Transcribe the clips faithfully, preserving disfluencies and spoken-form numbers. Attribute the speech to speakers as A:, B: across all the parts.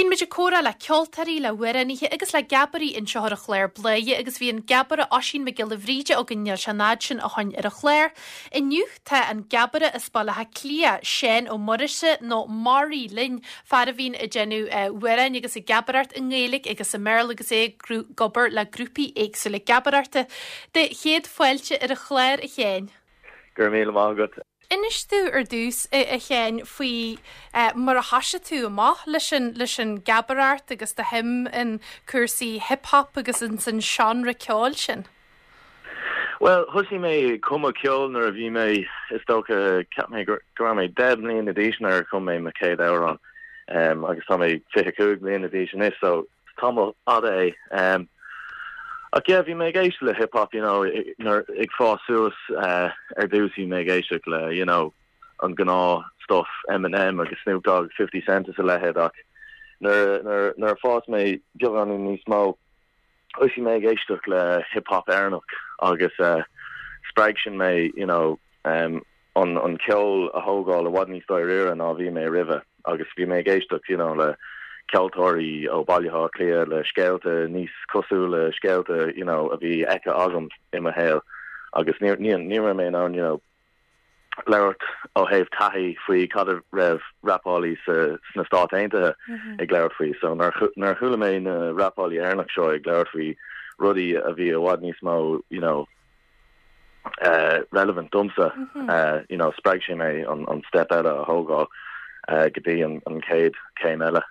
A: Bíonn muid ag comhrá le ceoltóirí le hamhránaithe agus le geabairí anseo ar an chlár Bladhaire agus bhí an geabaire Oisín Mac Giolla Bhríde againn níl sé an fhad sin ó shin ar an chlár. Inniu tá an geabaire as Baile Átha Cliath, Seán Ó Muirise nó Mary linn, fear a bhíonn ag déanamh amhráin agus ag geabaireacht i nGaeilge agus i mBéarla agus é ag obair le grúpaí éagsúla geabaireachta. De chéad fáilte ar an chlár a Sheáin.
B: Gur míle maith agat.
A: Inis domh ar dtús a Sheáin faoi mar a thosaigh tú amach leis an leis an geabaireacht agus do shuim in cúrsaí hip-hop agus in san seánra ceoil sin.
B: Well, thosaigh mé cumadh ceol nuair a bhí mé is dócha ceap mé go raibh mé deich mbliana d'aois nuair a chum mé mo chéad amhrán um, agus tá mé fiche cúig bliana d'aois anois so tamall fada é. Um, ach yeah, bhí mé ag éisteacht le hip hop you know, nuair ag fás suas uh, ar dtús bhí mé ag éisteacht le you know, an gnáth stuff Eminem agus Snoop Dogg fifty Cent is a leithéid ach nuair nuair nuair a fás mé beagán níos mó thosaigh mé ag éisteacht le hip hop Éireannach agus uh, spreag sin mé you know, um, an an ceol a thógáil i bhfad níos dáiríre ná bhí mé roimhe agus bhí mé ag éisteacht you know, le ceoltóirí ó Baile Átha Cliath le scéalta níos cosúil le scéalta you know, a bhí feicthe agam i mo shaol agus ní ní ní raibh mé in ann you know, labhairt ó thaobh taithí faoi cad a raibh rapálaí sa sna Stáit Aontaithe ag labhairt faoi so nuair chuala mé na rapálaí Éireannach seo ag labhairt faoi rudaí a bhí i bhfad níos mó you know, uh, relevant domsa mm -hmm. uh, you know, spreag sé mé an, an step eile a thógáil uh, go dtí an, an chéad céim eile.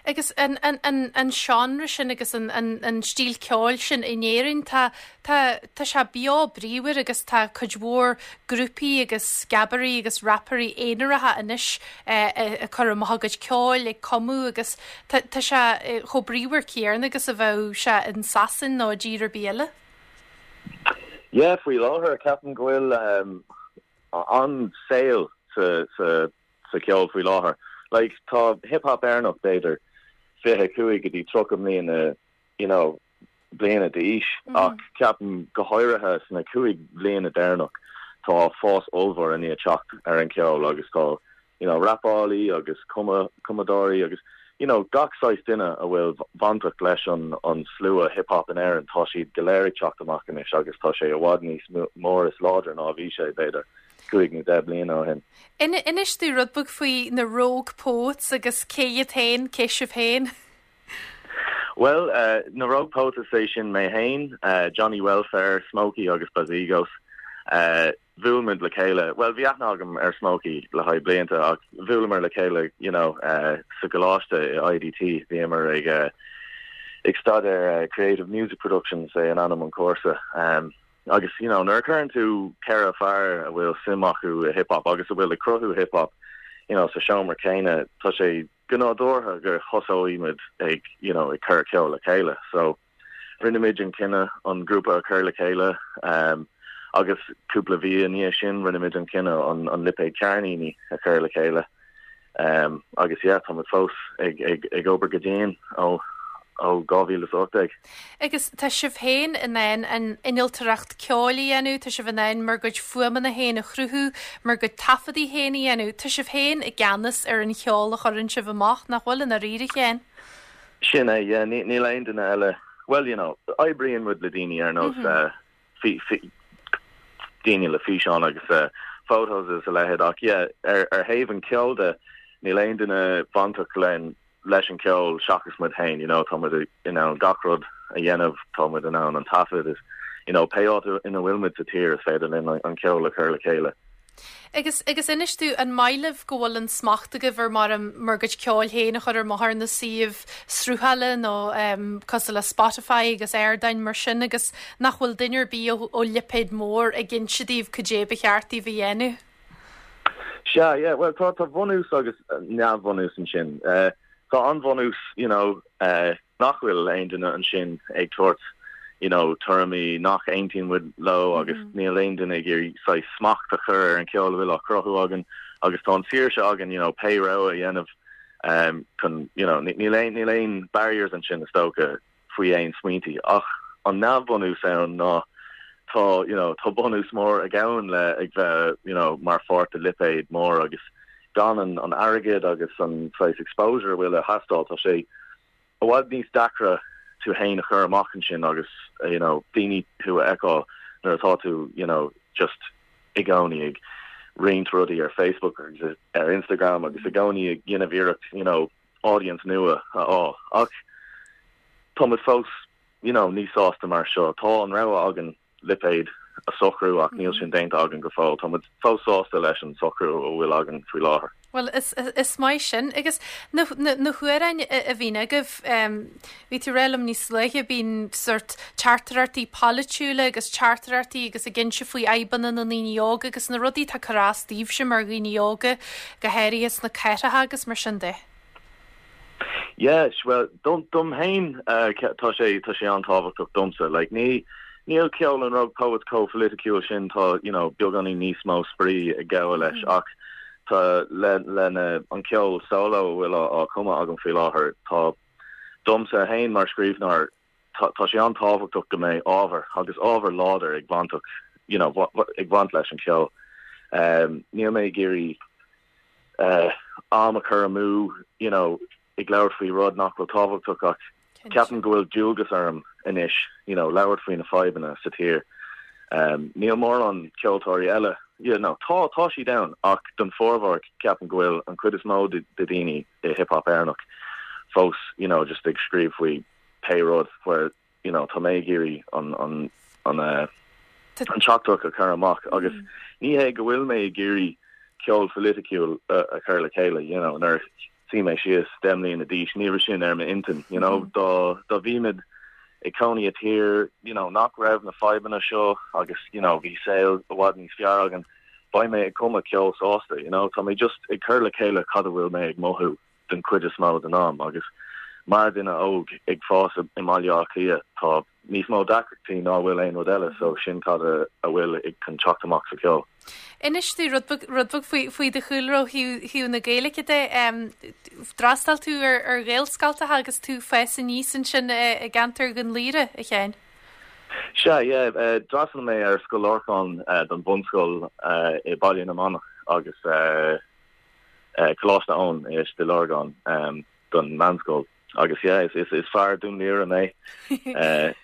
A: Agus an, an, an, an seánra sin agus an, an, an stíl ceoil sin in Éirinn tá tá tá sé beo bríomhar agus tá cuid mhór grúpaí agus geabairí agus rapairí aonaracha anois eh, ag cur amach a gcuid ceoil ag cumadh agus tá tá sé eh, chomh bríomhar céanna agus a bheadh sé in Sasain nó tír ar bith eile.
B: Yeah, faoi láthair ceapaim go bhfuil um, an saol sa sa sa ceol faoi láthair. Like tá hip hop Éireannach b'fhéidir fiche cúig go dtí tríocha mbliana you know, bliana d'aois mm -hmm. ach ceapaim go háirithe sna cúig bliana deireanach tá fás ollmhór i ndiaidh teacht ar an ceol agus tá you know, rapálaí agus cuma cumadóirí agus you know, gach saghas duine a bhfuil bainteach leis an an slua hip hop in Éirinn tá siad go léir ag teacht amach anois agus tá sé i bhfad níos mór is láidir ná bhí sé b'fhéidir cúig nó deich bliana ó shin.
A: Inis domh rud beag faoi na Rogue Poets agus cé iad féin cé sibh féin.
B: Well, uh, na Rogue Poets is é sin mé féin, uh, Johnny Welfare, Smokey agus Bazigos. Uh, bhuail muid le chéile. Well, bhí aithne agam ar Smokey le haghaidh blianta ach bhuaileamar le chéile you know, uh, sa gcoláiste I D T bhíomar ag uh, ag staidéar uh, Creative Music Productions é an ainm an cúrsa. Um, agus you know, nuair a chuireann tú ceithre fear a bhfuil suim acu i hip hop agus a bhfuil ag cruthú hip hop you know, sa seomra céanna tá sé go nádúrtha gur thosóidh muid ag you know, ag cur ceol le chéile. So rinne muid an cinneadh an grúpa a chur le chéile um, agus cúpla mí ina dhiaidh sin rinne muid an cinneadh an, an lipéad ceirníní a chur le chéile. Um, agus yeah, tá fós ag, ag, ag obair go dian ó ó dhá mhíle ocht déag.
A: Agus tá sibh féin in ann an innealtóireacht ceoil a dhéanamh, tá sibh in ann bhur gcuid fuaimeanna féin a chruthú, bhur gcuid taifeadtaí féin a dhéanamh, Tá sibh féin i gceannas ar an cheol a chuireann sibh amach nach bhfuil an ríre chéin.
B: Sin é yeah, níl aon duine eile well you know oibríonn muid le daoine ar nós mm -hmm. uh, daoine le físeán agus uh, photos is a leithéid ach yeah, ar ar thaobh an ceol de níl aon duine bainteach len leis an ceol seachas muid féin you know tá muid in ann gach rud a dhéanamh tá muid in ann an taifead is you know pé áit ina bhfuil muid sa tír is féidir linn an ceol a chur le chéile.
A: Agus agus inis domh an maith libh go bhfuil an smacht agaibh ar mar bhur gcuid ceoil féin a chur ar maith na suímh sruthála nó um, cosúil le Spotify agus ardáin mar sin agus nach bhfuil duine ar bith ó lipéad mór ag inse daoibh cad é ba cheart daoibh a dhéanamh.
B: Sea, yeah, well tá tá bunús agus neamhbhunús ansin. Uh, tá an bunús you know, uh, nach bhfuil aon duine ansin ag tabhairt you know, tuairimí nach aontaíonn muid leo agus mm -hmm. níl aon duine ag iarraidh smacht a chur ar an ceol a bhfuil á chruthú againn agus tá an saoirse againn you know, pé rud a dhéanamh um, chun you know, níl aon níl aon barriers ansin is dócha faoi aon smaointe ach an neamhbhunús ann ná tá you know, tá bunús mór ag gabháil le ag bheith you know, mar pháirt de lipéad mór agus gan an, an airgead agus an saghas exposure a bhfuil ag teastáil tá sé i bhfad níos deacra tú féin a chur amach ansin agus uh, you know daoine thú a fheiceáil nuair atá tú you know just i gcónaí ag roinnt rudaí ar Facebook agus ar Instagram agus i gcónaí ag déanamh iarracht you know audience nua a fháil ach tá muid fós you know níos sásta mar seo tá an rogha againn lipéad a socrú ach níl sin déanta againn go fóill tá muid fós sásta leis an socrú a bhfuil againn faoi láthair.
A: Well is, is, is maith sin agus na, na, na hamhráin a bhíonn agaibh um, bhí tú rélam níos luaithe bíonn sort teachtaireachtaí polaitiúla agus teachtaireachtaí agus ag inse faoi fhadhbanna na ndaoine óga agus na rudaí atá ag cur as daoibhse mar dhaoine óga go háirithe sna cathracha agus mar sin de.
B: Yes, well dom dom féin uh, tá sé tá sé an-tábhachtach domsa like ní níl ceol an Rogue Poets chomh polaitiúil sin tá you know beagáinín níos mó spraoi ag gabháil leis mm. ach tá le lena an ceol solo bhfuil á chumadh agam faoi láthair tá domsa féin mar scríbhneoir tá sé an-tábhachtach go mbeidh ábhar agus ábhar láidir ag baint you know ag baint leis an ceol um, níl mé ag iarraidh uh, am a chur amú you know ag labhairt faoi rud nach bhfuil tábhachtach ach ceapaim go bhfuil dualgas orm anois you know labhairt faoi na fadhbanna sa tír um, níl mórán ceoltóirí eile you know, tá tá siad ann ach don formhór ceapaim go bhfuil an chuid is mó de daoine i hip-hop Éireannach fós you know just ag scríobh faoi pé rud where you know tá mé ag iarraidh an an an uh, an teachtaireacht a chur amach agus mm. ní hé go bhfuil mé ag iarraidh ceol polaitiúil uh, a chur le chéile you know nuair a bhí mé deich mbliana d'aois ní raibh sin ar m'intinn you know mm. dá dá bhímid ag cónaí i dtír you know nach raibh na fadhbanna seo agus you know bhí saol i bhfad níos fearr againn beidh mé ag cumadh ceol sásta you know tá mé just ag cur le chéile cad a bhfuil mé ag mothú den chuid is mó den am agus mar duine óg ag fás i mBaile Átha Cliath tá níos mó deacrachtaí ná bhfuil aon rud eile so sin cad a bhfuil ag chun teacht amach sa ceol.
A: Inis dúinn rud beag faoi faoi do chúlra thú na Gaeilge de d'fhreastail tú ar ar Ghaelscoileanna agus tú ag fás aníos ansin i gceantar Dhún Laoghaire a Sheáin.
B: Sea d'fhreastail mé ar Scoil Lorcáin don bhunscoil i Baile na Manach agus Coláiste Eoin i Stigh Lorgan don meánscoil agus yeah, is, is, is fear Dún Laoghaire mé.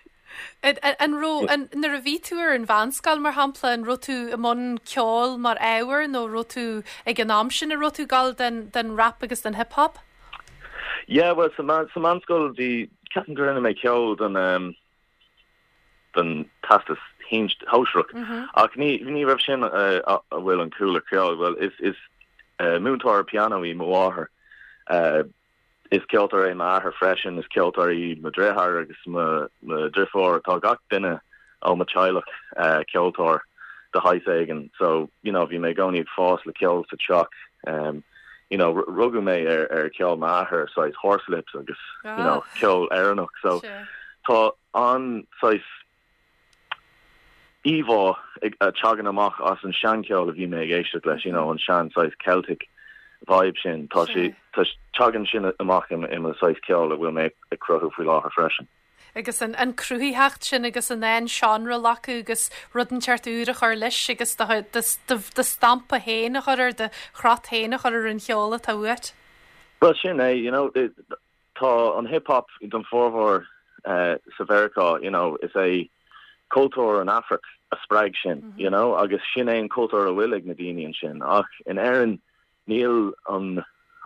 A: An raibh nuair a bhí tú ar an mheánscoil mar shampla an raibh tú i mbun ceoil mar ábhar nó raibh tú ag an am sin a raibh tú ag gabháil den, den rap agus den hip-hop?
B: Yeah, well sa man sa meánscoil bhí ceapaim go rinne mé ceol den um, den teastas shóisearach mm -hmm. ach ní ní raibh sin uh, a bhfuil an cúla ceol well is is uh, múinteoir pianó í mo mháthair uh, is ceoltóir é m'athair freisin is ceoltóir í mo dheartháir agus mo dheirfiúr tá gach duine ó mo theaghlach uh, ceoltóir de shaghas éigin so you know bhí mé i gcónaí ag fás le ceol sa teach um, you know rugadh mé ar ar ceol m'athar saghas Horslips agus ah. you know ceol Éireannach so sure. tá an saghas íomhá a tagann amach as an seancheol a bhí mé ag éisteacht leis you know an sean saghas Celtic vibe sin tá sé tagann sin amach im im saghas ceol a bhfuil mé ag cruthú faoi láthair freisin.
A: Agus an, an cruthaitheacht sin agus an an seánra acu agus rud inteacht úr a chur leis agus do stampa féin a chur ar do chrot féin a chur ar an cheol atá uait.
B: Well sin é you know it, tá an hip-hop don formhór uh, sa Mheiriceá you know is é cultúr an Afraic a spreag sin mm -hmm. you know agus sin é an cultúr a bhfuil ag na daoine ansin ach in Éirinn níl an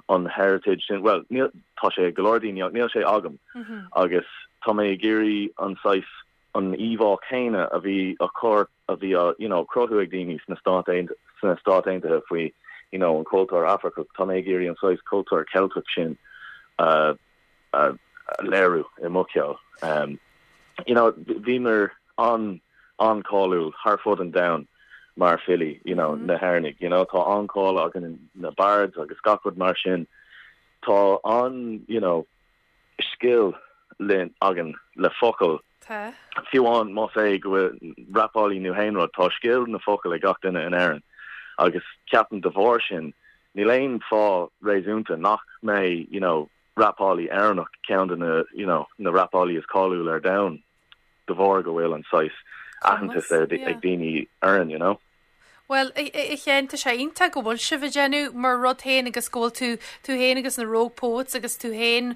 B: an heritage sin well níl tá sé go leor daoine níl sé agam mm -hmm. agus tá mé ag iarraidh an saghas an íomhá céanna a bhí a chur a bhí a you know cruthú ag daoine sna Stáit sna Stáit Aontaithe faoi you know an cultúr Afracach tá mé ag iarraidh an saghas cultúr Ceilteach sin uh, uh, léiriú i mo cheol um, you know bhíomar an an-cháiliúil thar fud an domhain mar filí you know mm -hmm. na hÉireannaigh you know tá an-cháil againn na bards agus gach rud mar sin tá an you know skill linn againn le focail fiú amháin más é go rapálaí nó aon rud tá scil na focail ag gach duine in Éirinn agus ceapaim de bharr sin níl aon fáth réasúnta nach mbeidh you know rapálaí Éireannach ceann de na you know na rapálaí is cáiliúla ar domhan de bharr go bhfuil an saghas aitheantas ag daoine orainn you know.
A: Bhuel, a Sheáin, tá sé iontach go bhfuil sibh ag déanamh mar rud féin agus go bhfuil tú tú féin agus na Rogue Poets agus tú féin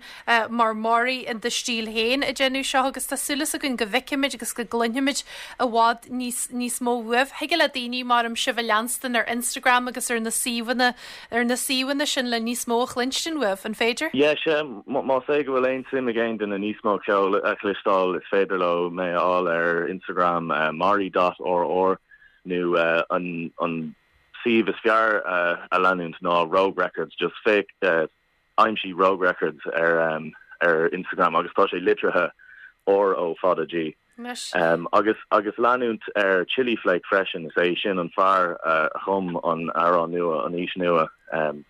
A: mar Maury in do stíl féin ag déanamh seo agus tá súil againn go bhfeicfimid agus go gcluinfimid i bhfad níos níos mó uaibh. Thig le daoine mar am sibh a leanstan ar Instagram agus ar na suíomhanna ar na suíomhanna sin le níos mó a chluinstin uaibh, an féidir?
B: Yeah, sé más é go bhfuil aon suim ag aon duine níos mó ceol a chloisteáil is féidir leo mé a fháil ar Instagram uh, mari.rr nó uh, an an suíomh is fearr uh, a leanúint ná Rogue Records just féach uh, aimsigh Rogue Records ar um, ar Instagram agus tá sé litrithe R O fada G. Um, agus agus leanúint ar Chili Flake freisin is é sin an fear uh, chum an amhrán nua an Aois Nua um,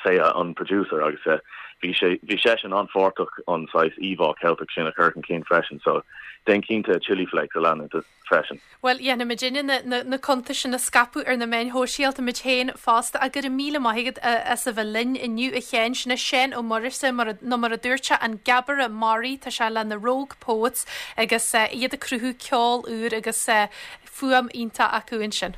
B: sé an producer agus uh, bhí sé bhí sé sin an-pháirteach an saghas íomhá Ceilteach sin a chur chun cinn freisin so déan cinnte Chili Flake a leanúint freisin.
A: Well dhéanfaidh muidinne na, na, na cuntais sin a scaipeadh ar na meáin shóisialta muid féin fosta a gur míle maigad as a bheith linn inniu a Sheáin sin Seán Ó Muirthile mar nó mar a dúirt sé an Geabaire Maury tá sé le na Rogue Poets agus uh, iad ag cruthú ceol úr agus uh, fuaim iontach acu ansin.